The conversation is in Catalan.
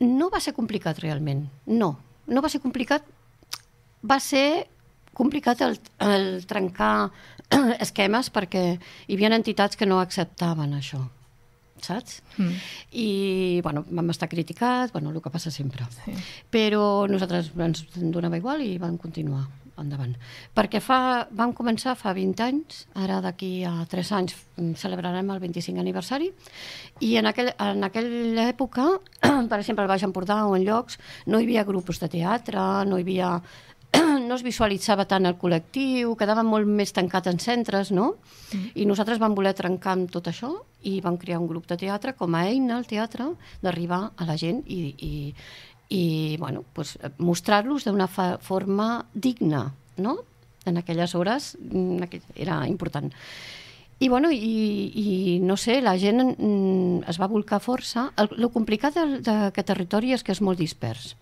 No va ser complicat realment, no va ser complicat, va ser complicat el trencar esquemes perquè hi havia entitats que no acceptaven això, saps? I, bueno, vam estar criticats, bueno, el que passa sempre. Sí. Però nosaltres ens donava igual i vam continuar endavant. Perquè vam començar fa 20 anys, ara d'aquí a 3 anys celebrarem el 25 aniversari, i en aquella època, per exemple, al Baix Empordà o en llocs, no hi havia grups de teatre, no es visualitzava tant el col·lectiu, quedava molt més tancat en centres, no? I nosaltres vam voler trencar amb tot això i vam crear un grup de teatre com a eina al teatre d'arribar a la gent i bueno, pues, mostrar-los d'una forma digna, no? En aquelles hores era important. I, bueno, no sé, la gent es va volcar força. El complicat d'aquest territori és que és molt dispers.